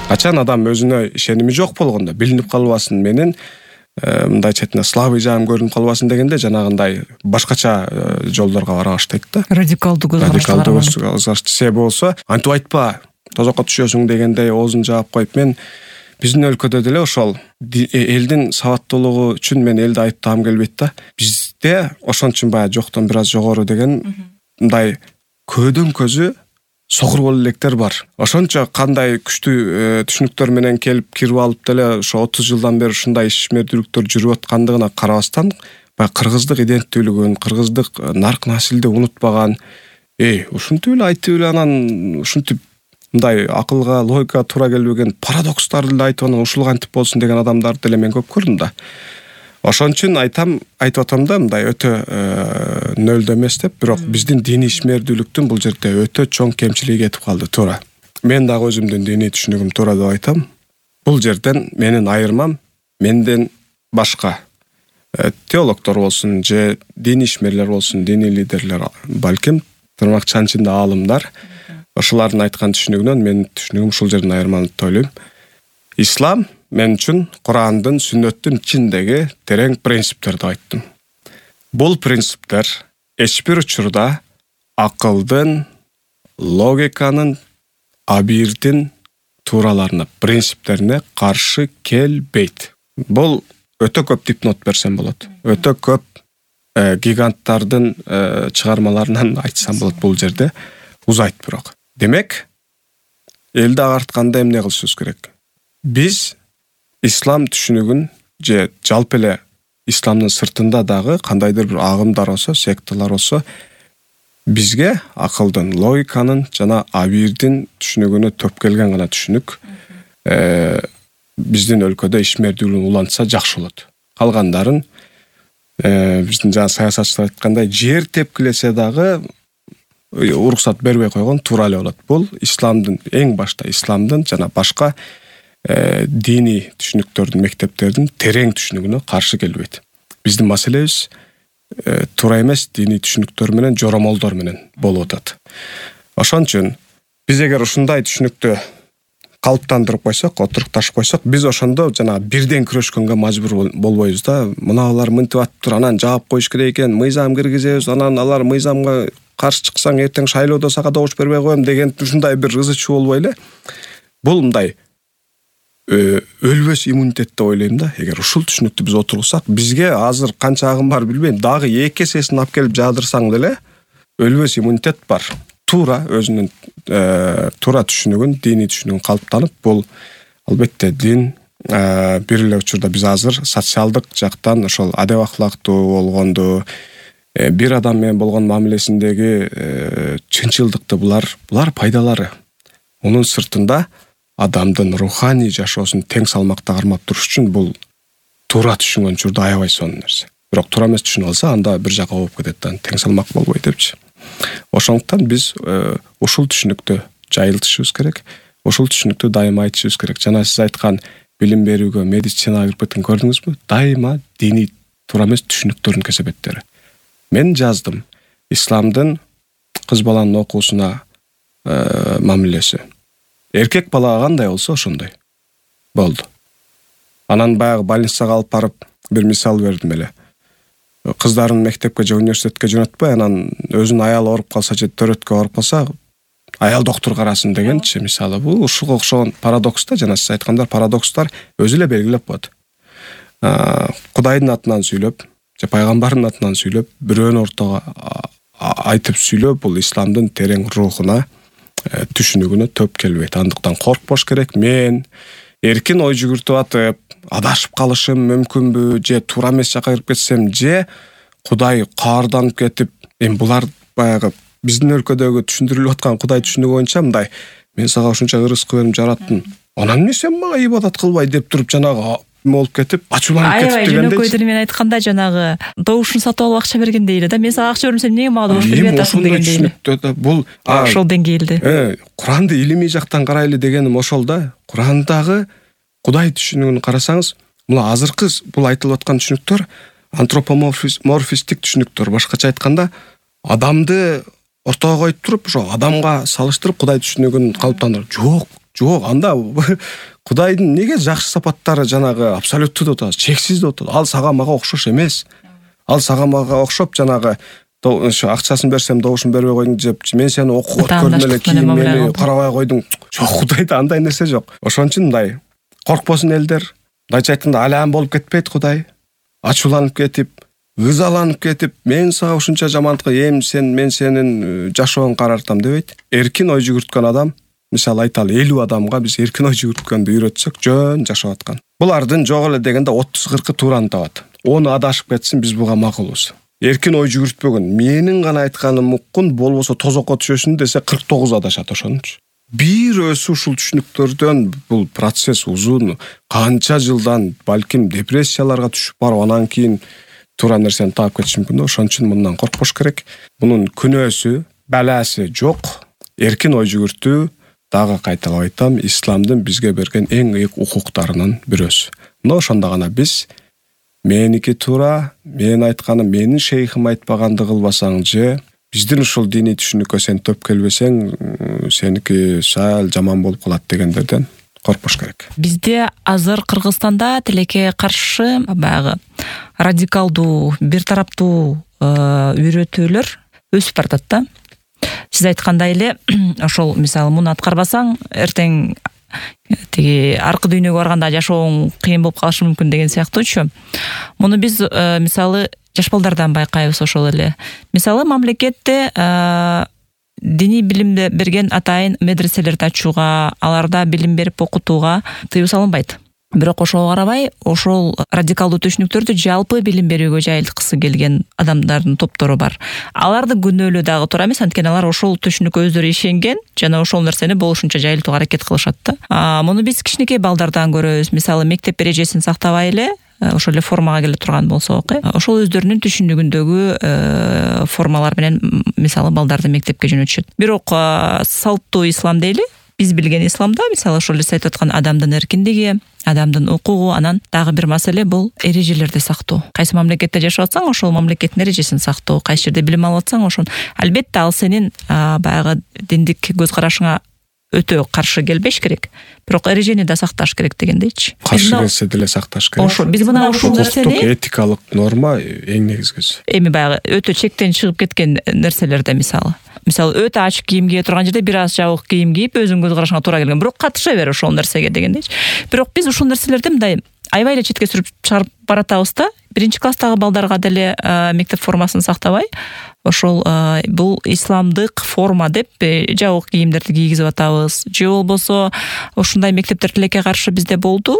Качан адам өзүнө ишеними жок болгондо, билинип калбасын менен мындай четине слабый жагым көрүнүп калбасын дегенде жанагындай башкача жолдорго бара баштайт да. Радикалдуу көзкараш. Себеби болсо антип айтпа, тозокко түшөсүң дегендей оозун жаап коюп, мен биздин өлкөдө деле ошол элдин сабаттуулугу үчүн мен элди айыптагым келбейт да. Бизде ошон үчүн баягы жоктон бир аз жогору деген мындай көөдөн көзү согур боло электер бар. Ошончо кандай күчтүү түшүнүктөр менен келип кирип алып деле ошо 30 жылдан бери ушундай ишмердүүлүктөр жүрүп аткандыгына карабастан, баягы кыргыздык иденттүүлүгүн, кыргыздык нарк насилди унутпаган, ушинтип эле айтып эле анан ушинтип мындай акылга, логикага туура келбеген парадокстарды эле айтып анан ушул кантип болсун деген адамдарды деле мен көп көрдүм да. Ошон үчүн айтып атам да, мындай өтө нөлдө эмес деп, бирок биздин диний ишмердүүлүктүн бул жерде өтө чоң кемчилиги кетип калды, туура. Мен дагы өзүмдүн диний түшүнүгүм туура деп айтам. Бул жерден менин айырмам менден башка теологдор болсун же диний ишмерлер болсун, диний лидерлер, балким тырнакчанын ичинде аалымдар, ошолардын айткан түшүнүгүнөн менин түшүнүгүм ушул жерден айырмаланат деп ойлойм. Ислам мен үчүн Курандын, сүннөттүн ичиндеги терең принциптер деп айттым. Бул принциптер эч бир учурда акылдын, логиканын, абийирдин туураларына, принциптерине каршы келбейт. Бул өтө көп дипнот берсем болот. Өтө көп гиганттардын чыгармаларынан айтсам болот бул жерде. Узайт бирок. Демек, элди агартканда эмне кылышыбыз керек? Биз ислам түшүнүгүн же жалпы эле исламдын сыртында дагы кандайдыр бир агымдар болсо, секталар болсо, бизге акылдын, логиканын жана абийирдин түшүнүгүнө төп келген гана түшүнүк биздин өлкөдө ишмердүүлүгүн улантса жакшы болот. Калгандарын биздин жана саясатчылар айткандай жер тепкилесе дагы уруксат бербей койгон туура эле болот. Бул исламдын, эң башта исламдын жана башка диний түшүнүктөрдүн, мектептердин терең түшүнүгүнө каршы келбейт. Биздин маселебиз туура эмес диний түшүнүктөр менен, жоромолдор менен болуп атат. Ошон үчүн биз эгер ушундай түшүнүктү калыптандырып койсок, отурукташып койсок, биз ошондо жана бирден күрөшкөнгө мажбур болбойбуз да. Мыналар мынтип атыптыр, анан жаап коюш керек экен, мыйзам киргизебиз, анан алар мыйзамга каршы чыксаң эртең шайлоодо сага добуш бербей коем деген ушундай бир ызы-чуу болбой эле. Бул мындай өлбөс иммунитет деп ойлойм да. Эгер ушул түшүнүктү биз отургусак, бизге азыр канча агым бар билбейм, дагы 2 эсесин алып келип жаадырсаң деле өлбөс иммунитет бар. Туура өзүнүн туура түшүнүгүн, диний түшүнүгүн калыптанып, бул албетте дин бир эле учурда биз азыр социалдык жактан ошол адеп акылактуу болгонду, бир адам менен болгон мамилесиндеги чынчылдыкты булар пайдалары. Мунун сыртында адамдын руханий жашоосун тең салмакта кармап туруш үчүн бул туура түшүнгөн учурда аябай сонун нерсе. Бирок туура эмес түшүнүп алса, анда бир жака болуп кетет да, тең салмак болбойт депчи. Ошондуктан биз ушул түшүнүктү жайылтышыбыз керек, ушул түшүнүктү дайыма айтышыбыз керек. Жана сиз айткан билим берүүгө, медицинага кирип кеткен көрдүңүзбү? Дайыма диний туура эмес түшүнүктөрдүн кесепеттери. Мен жаздым. Исламдын кыз баланын окуусуна мамилеси. Эркек балага кандай болсо ошондой болду. Анан баягы больницага алып барып бир мисал бердим эле. Кыздарын мектепке же университетке жөнөтпөй, анан өзүнүн аялы ооруп калса же төрөткө ооруп калса, аял доктур карасын дегенчи мисалы. Бул ушуга окшогон парадокс да, жана сиз айткандар парадокстар өзү эле белгилеп коет. Кудайдын атынан сүйлөп, же пайгамбардын атынан сүйлөп, бирөөнү ортого айтып сүйлөө бул исламдын терең рухуна, түшүнүгүнө төп келбейт. Андыктан коркпош керек. Мен эркин ой жүгүртүп атып, адашып калышым мүмкүнбү, же туура эмес жакка кирип кетсем, же Кудай каарданып кетип, булар баягы биздин өлкөдөгү түшүндүрүлүп аткан Кудай түшүнүгү боюнча мындай: мен сага ушунча ырызык берип жараттым, анан эмне сен мага ибадат кылбай деп туруп жанагы болуп кетип, ачууланып кетип дегендей. Жөнөкөй тили менен айтканда жанагы добушун сатып алып акча бергендей эле да. Мен сага акча бердим, сен эмнеге мага добуш бербей атасың дегендей эле. Бул ошол деңгээлде. Куранды илимий жактан карайлы дегеним ошол да. Курандагы Кудай түшүнүгүн карасаңыз, мына азыркы бул айтылып аткан түшүнүктөр антропоморфистик түшүнүктөр. Башкача айтканда, адамды ортого коюп туруп, ошо адамга салыштырып Кудай түшүнүгүн калыптандырып. Жок, анда Кудайдын неге жакшы сапаттары жанагы абсолюттүү деп атабыз, чексиз деп атабыз. Ал сага мага окшош эмес. Ал сага мага окшоп жанагы ошо акчасын берсем добушун бербей койдуң деп, мен сени окуп көрдүм эле, кийин мени карабай койдуң. Жок, Кудайда андай нерсе жок. Ошон үчүн мындай коркпосун элдер. Мындайча айтканда алаан болуп кетпейт Кудай. Ачууланып кетип, ызаланып кетип, мен сага ушунча жамандыкка мен сенин жашооңду карартам дебейт. Эркин ой жүгүрткөн адам, мисалы айталы 50 адамга биз эркин ой жүгүрткөндү үйрөтсөк, жөн жашап аткан. Булардын жок эле дегенде 30-40 туураны табат. Оны адашып кетсин, биз буга макулбуз. Эркин ой жүгүртпөгөн, менин гана айтканым уккун, болбосо тозокко түшөсүн десе 49 адашат ошончу. Бир өзү ушул түшүнүктөрдөн бул процесс узун, канча жылдан балким депрессияларга түшүп барып, анан кийин туура нерсени таап кетиш мүмкүн. Ошон үчүн мындан коркпош керек. Бунун күнөөсү, баласы жок. Эркин ой жүгүртүү, дагы кайталап айтам, исламдын бизге берген эң ыйык укуктарынын бирөөсү. Мына ошондо гана биз меники туура, мен айтканым, менин шейхим айтпаганды кылбасаң же, биздин ушул диний түшүнүккө сен төп келбесең, сеники сал жаман болуп калат дегендерден коркпош керек. Бизде азыр Кыргызстанда тилекке каршы баягы радикалдуу, бир тараптуу үйрөтүүлөр өсүп баратат да. Сиз айткандай эле, ошол мисалы муну аткарбасаң, эртең тиги аркы дүйнөгө барганда жашооң кыйын болуп калышы мүмкүн деген сыяктуучу. Муну биз мисалы жаш балдардан байкайбыз ошол эле. Мисалы мамлекетте диний билимди берген атайын медреселерди ачууга, аларда билим берип окутууга тыюу салынбайт. Бирок ошого карабай, ошол радикалдуу түшүнүктөрдү жалпы билим берүүгө жайылткысы келген адамдардын топтору бар. Аларды күнөөлөө дагы туура эмес, анткени алар ошол түшүнүккө өздөрү ишенген жана ошол нерсени болушунча жайылтууга аракет кылышат да. Муну биз кичинекей балдардан көрөбүз. Мисалы мектеп эрежесин сактабай эле, ошол эле формага келе турган болсок, ошол өздөрүнүн түшүнүгүндөгү формалар менен мисалы балдарды мектепке жөнөтүшөт. Бирок салттуу ислам дейли, биз билген исламда мисалы ошол эле айтып аткан адамдын эркиндиги, адамдын укугу, анан дагы бир маселе бул эрежелерди сактоо. Кайсы мамлекетте жашап атсаң, ошол мамлекеттин эрежесин сактоо, кайсы жерде билим алып атсаң, ошон албетте ал сенин баягы диндик көз карашыңа өтө каршы келбеш керек. Бирок эрежени да сакташ керек дегендейчи. Каршы келсе деле сакташ керек. Ошо биз мына ушул нерсени этикалык норма эң негизгиси. Эми баягы өтө чектен чыгып кеткен нерселерде мисалы өтө ачык кийим кие турган жерде бир аз жабык кийим кийип өзүң көз карашыңа туура келген, бирок катыша бер ошол нерсеге дегендейчи. Бирок биз ушул нерселерди мындай аябай эле четке сүрүп чыгарып баратабыз да. Биринчи класстагы балдарга деле мектеп формасын сактабай, ошол бул исламдык форма деп жабык кийимдерди кийгизип атабыз. Же болбосо ушундай мектептер тилекке каршы бизде болду.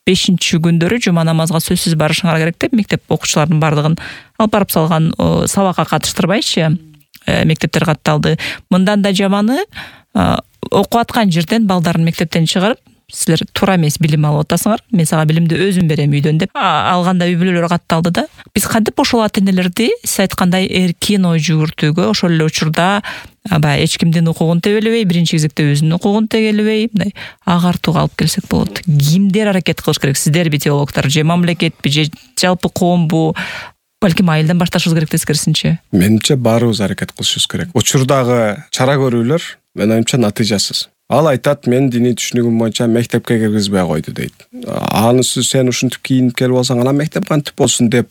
5-күндөрү жума намазга сөзсүз барышыңар керек деп мектеп окуучуларынын бардыгын алып барып салган, сабакка катыштырбайчы мектептер катталды. Мындан да жаманы, окуп аткан жерден балдарын мектептен чыгарып, силер туура эмес билим алып атасыңар, мен сага билимди өзүм берем үйдөн деп алганда үй бүлөлөр катталды да. Биз кантип ошол ата-энелерди сиз айткандай эркин ой жүгүртүүгө, ошол эле учурда баягы эч кимдин укугун тебелебей, биринчи кезекте өзүнүн укугун тегелебей, мындай агартууга алып келсек болот. Кимдер аракет кылыш керек? Сиздерби теологдор, же мамлекетпи, же жалпы коомбу? Балким айылдан башташыбыз керек тескерисинче. Менимче баарыбыз аракет кылышыбыз керек. Учурдагы чара көрүүлөр менин оюмча натыйжасыз. Ал айтат, мен диний түшүнүгүм боюнча мектепке киргизбей койду дейт. Анысы сен ушинтип кийинип келип алсаң, анан мектеп кантип болсун деп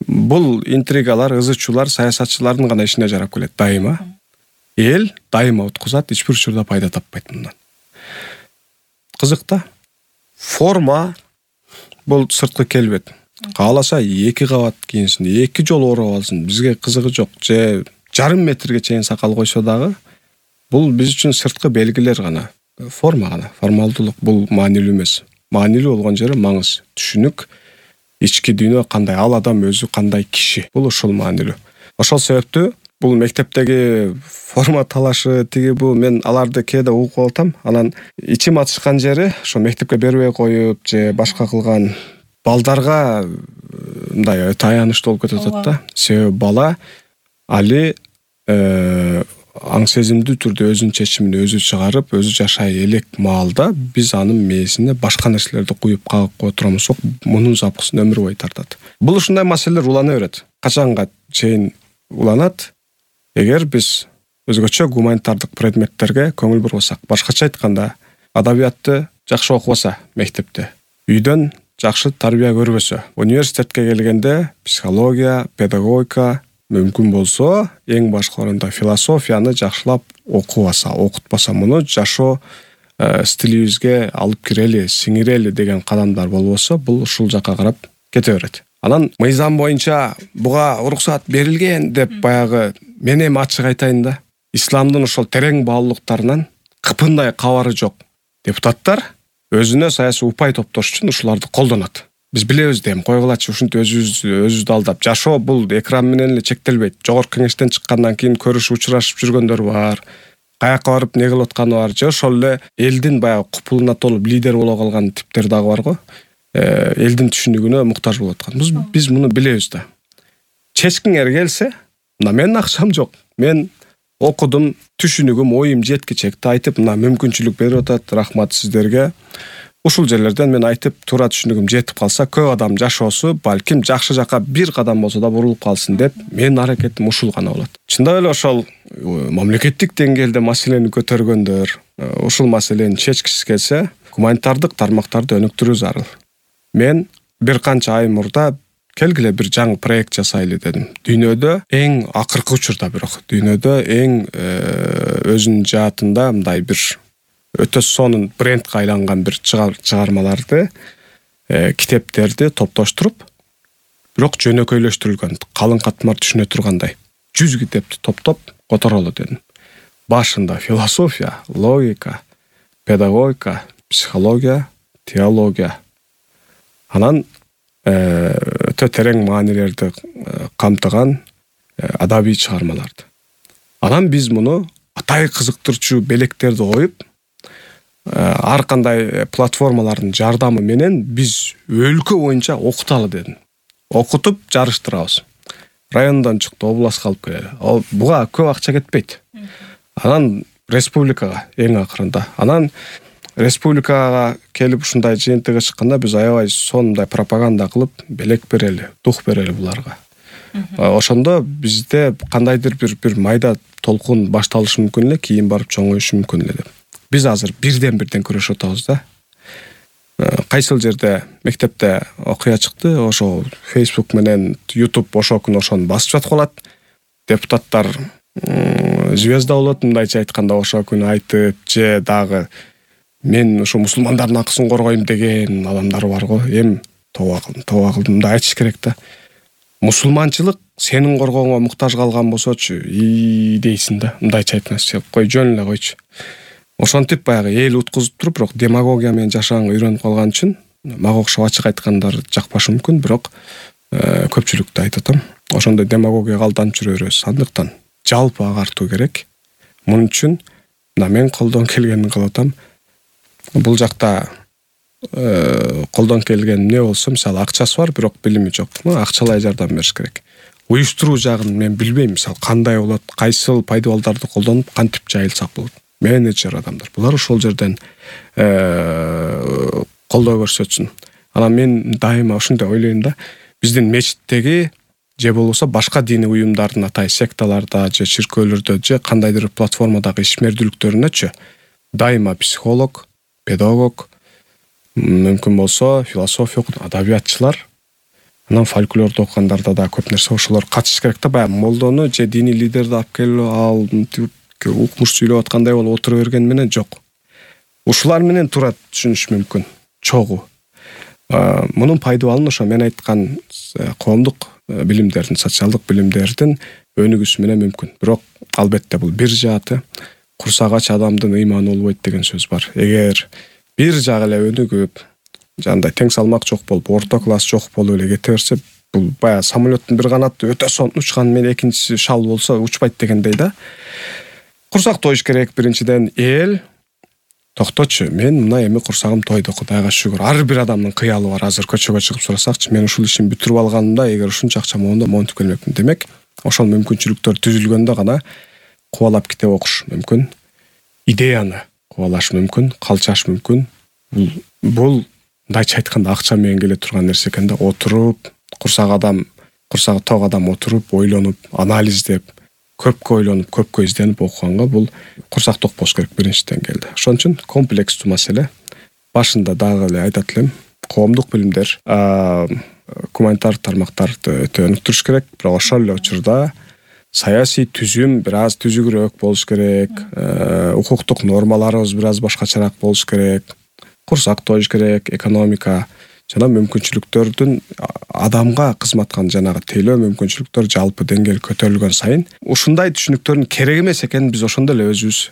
бул интригалар, ызычуулар саясатчылардын гана ишине жарап келет дайыма. Эл дайыма уткузат, эч бир учурда пайда таппайт мындан. Кызык да. Форма бул сырткы келбет. Кааласа 2 кабат кийинсин, 2 жолу ороп алсын, бизге кызыгы жок. Же жарым метрге чейин сакал койсо дагы, бул биз үчүн сырткы белгилер гана, форма гана, формалдуулук. Бул маанилүү эмес. Маанилүү болгон жери маңыз, түшүнүк, ички дүйнө кандай, ал адам өзү кандай киши. Бул ошол маанилүү. Ошол себептүү бул мектептеги форма талашы бул мен аларды кээде угуп атам. Анан ичим ачышкан жери ошо мектепке бербей коюп же башка кылган балдарга мындай өтө аянычтуу болуп кетип атат да. Себеби бала али аң сезимдүү түрдө өзүнүн чечимин өзү чыгарып, өзү жашай элек маалда биз анын мээсине башка нерселерди куюп кагып кое турганбыз, мунун запкысын өмүр бою тартат. Бул ушундай маселелер улана берет. Качанга чейин уланат? Эгер биз өзгөчө гуманитардык предметтерге көңүл бурбасак, башкача айтканда, адабиятты жакшы окубаса мектепте, үйдөн жакшы тарбия көрбөсө, университетке келгенде психология, педагогика, мүмкүн болсо эң башкыларында философияны жакшылап окубаса, окутпаса, муну жашоо стилибизге алып кирели, сиңирели деген кадамдар болбосо, бул ушул жакка карап кете берет. Анан мыйзам боюнча буга уруксат берилген деп баягы мен эми ачык айтайын да, исламдын ошол терең баалуулуктарынан кыпындай кабары жок депутаттар өзүнө саясий упай топтош үчүн ушуларды колдонот. Биз билебиз да, эми койгулачы ушинтип өзүбүздү алдап. Жашоо бул экран менен эле чектелбейт. Жогорку кеңештен чыккандан кийин көрүшүп, учурашып жүргөндөр бар. Каяка барып не кылып атканы бар. Же ошол эле элдин баягы купулуна толуп лидер боло калган типтер дагы бар го. Элдин түшүнүгүнө муктаж болуп аткан. Биз муну билебиз да. Чечкиңер келсе, мына менин акчам жок. Мен окудум, түшүнүгүм, оюм жеткичекти айтып, мына мүмкүнчүлүк берип атат. Рахмат сиздерге. Ушул жерлерден мен айтып, туура түшүнүгүм жетип калса, көп адам жашоосу балким жакшы жакка бир кадам болсо да бурулуп калсын деп, менин аракетим ушул гана болот. Чындап эле ошол мамлекеттик деңгээлде маселени көтөргөндөр, ушул маселени чечкиси келсе, гуманитардык тармактарды өнүктүрүү зарыл. Мен бир канча ай мурда келгиле бир жаңы проект жасайлы дедим. Дүйнөдө эң акыркы учурда бирок, дүйнөдө эң өзүнүн жаатында мындай бир өтө сонун брендке айланган бир чыгармаларды, китептерди топтоштуруп, бирок жөнөкөйлөштүрүлгөн, калың катмар түшүнө тургандай 100 китепти топтоп которолу дедим. Башында философия, логика, педагогика, психология, теология. Анан өтө терең маанилерди камтыган адабий чыгармаларды. Анан биз муну атай кызыктырчу белектерди коюп, ар кандай платформалардын жардамы менен биз өлкө боюнча окуталы дедим. Окутуп жарыштырабыз. Райондон чыкты, областка алып келели. Буга көп акча кетпейт. Анан республикага эң акырында. Анан республикага келип ушундай жыйынтыгы чыкканда биз аябай сонундай пропаганда кылып, белек берели, дух берели буларга. Ошондо бизде кандайдыр бир майда толкун башталышы мүмкүн эле, кийин барып чоңоюшу мүмкүн эле деп. Биз азыр бирден күрөшүп атабыз да. Кайсыл жерде мектепте окуя чыкты, ошо Facebook менен YouTube ошол күнү ошону басып жатып калат. Депутаттар звезда болот, мындайча айтканда ошол күнү айтып, же дагы мен ошо мусулмандардын акысын коргойм деген адамдар бар го. Эми тооба кылдым да айтыш керек да. Мусулманчылык сенин коргооңо муктаж калган болсочу, дейсиң да. Мындайча айтканда, кой жөн эле койчу. Ошентип баягы эл уткузуп туруп, бирок демагогия менен жашаганга үйрөнүп калган үчүн мага окшоп ачык айткандар жакпашы мүмкүн, бирок көпчүлүктү айтып атам. Ошондой демагогияга алданып жүрө беребиз. Андыктан жалпы агартуу керек. Мун үчүн мына мен колдон келгенин кылып атам. Бул жакта колдон келген эмне болсо, мисалы акчасы бар, бирок билими жок. Акчалай жардам бериш керек. Уюштуруу жагын мен билбейм, мисалы кандай болот, кайсыл пайдабалдарды колдонуп кантип жайылсак болот. Менеджер адамдар. Булар ошол жерден колдоо көрсөтсүн. Анан мен дайыма ушундай ойлойм да, биздин мечиттеги же болбосо башка диний уюмдардын атай секталарда же чиркөөлөрдө же кандайдыр платформадагы ишмердүүлүктөрүнөчү дайыма психолог, педагог, мүмкүн болсо философия окуган адабиятчылар, анан фольклорду окугандарда да көп нерсе ошолор катышыш керек да. Баягы молдону же диний лидерди алып келип ал укмуш сүйлөп аткандай болуп отура берген менен жок. Ушулар менен туура түшүнүш мүмкүн. Чогуу. Мунун пайдабалын ошо мен айткан коомдук билимдердин, социалдык билимдердин өнүгүүсү менен мүмкүн. Бирок албетте бул бир жааты курсак ач адамдын ыйманы болбойт деген сөз бар. Эгер бир жагы эле өнүгүп, жандай тең салмак жок болуп, орто класс жок болуп эле кете берсе, бул баягы самолеттин бир канаты өтө сонун учкан менен экинчиси шал болсо учпайт дегендей да. Курсак тоюш керек биринчиден. Эл токточу, мен мына эми курсагым тойду, Кудайга шүгүр. Ар бир адамдын кыялы бар. Азыр көчөгө чыгып сурасакчы, мен ушул ишин бүтүрүп алганымда, эгер ушунча акчам болгондо монтип келмекмин. Демек, ошол мүмкүнчүлүктөр түзүлгөндө гана кубалап китеп окуш мүмкүн. Идеяны кубалаш мүмкүн, калчаш мүмкүн. Бул мындайча айтканда акча менен келе турган нерсе экен да. Отуруп, курсагы ток адам отуруп, ойлонуп, анализдеп, көпкө ойлонуп, көпкө изденип окуганга бул курсак ток болуш керек биринчиден келди. Ошон үчүн комплекстүү маселе. Башында дагы эле айтат элем, коомдук билимдер, гуманитардык тармактарды өтө өнүктүрүш керек, бирок ошол эле учурда саясий түзүм бир аз түзүгүрөөк болуш керек, укуктук нормаларыбыз бир аз башкачараак болуш керек, курсак тоюш керек, экономика жана мүмкүнчүлүктөрдүн адамга кызматкан жанагы тейлөө мүмкүнчүлүктөр жалпы деңгээл көтөрүлгөн сайын ушундай түшүнүктөрдүн керек эмес экенин биз ошондо эле өзүбүз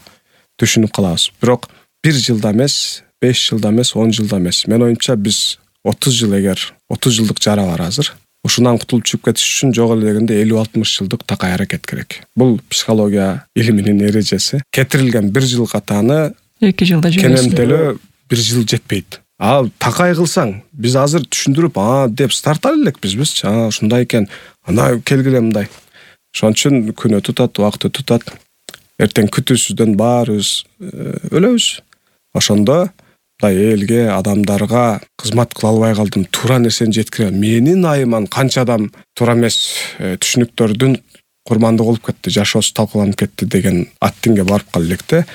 түшүнүп калабыз. Бирок 1 жылда эмес, 5 жылда эмес, 10 жылда эмес. Мен оюмча биз 30 жыл эгер 30 жылдык жара бар азыр. Ушунан кутулуп чыгып кетиш үчүн жок эле дегенде 50-60 жылдык такай аракет керек. Бул психология илиминин эрежеси. Кетирилген 1 жыл катаны 2 жылда жүрөсүң. Кенемделе 1 жыл жетпейт. Ал такай кылсаң, биз азыр түшүндүрүп, деп старталай элекпиз биз. Ушундай экен, ана келгиле мындай. Ошон үчүн күн өтүп атат, убакыт өтүп атат. Эртең күтүүсүздөн баарыбыз өлөбүз. Ошондо элге, адамдарга кызмат кыла албай калдым, туура нерсени жеткире. Менин айыман канча адам туура эмес түшүнүктөрдүн курмандыгы болуп кетти, жашоосу талкаланып кетти деген аттиңге барып кала электе.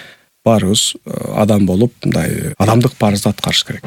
Баарыбыз адам болуп, мындай адамдык парызды аткарыш керек.